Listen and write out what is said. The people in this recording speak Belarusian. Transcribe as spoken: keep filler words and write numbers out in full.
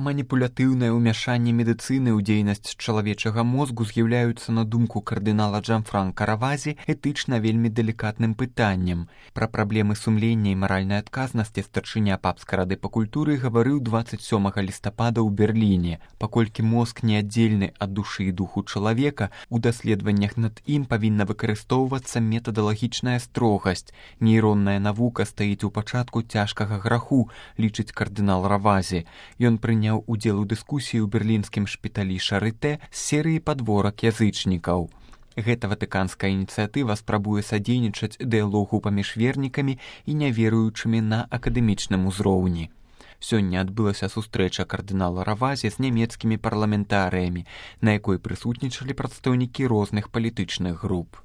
Маніпулятыўнае ўмяшанне медыцыны ў дзейнасць чалавечага мозгу з'яўляюцца, на думку кардынала Джанфранка Равазі, этычна вельмі далікатным пытаннем. Пра праблемы сумлення і маральнай адказнасці старшыня папскай рады па культуры гаварыў дваццаць сёмага лістапада ў Берліне. Паколькі мозг неаддзельны ад душы і духу чалавека, у даследаваннях над ім павінна выкарыстоўвацца метадалагічная строгасць. Нейронная навука стаіць у пачатку цяжкага граху, лічыць кардынал Равазі. Ён прыняў удзел у дыскусіі ў берлінскім шпіталі Шарытэ з серыі падворак язычнікаў. Гэта ватыканская ініцыятыва спрабуе садзейнічаць дыялогу паміж вернікамі і няверуючымі на акадэмічным узроўні. Сёння адбылася сустрэча кардынала Равазі з нямецкімі парламентарыямі, на якой прысутнічалі прадстаўнікі розных палітычных груп.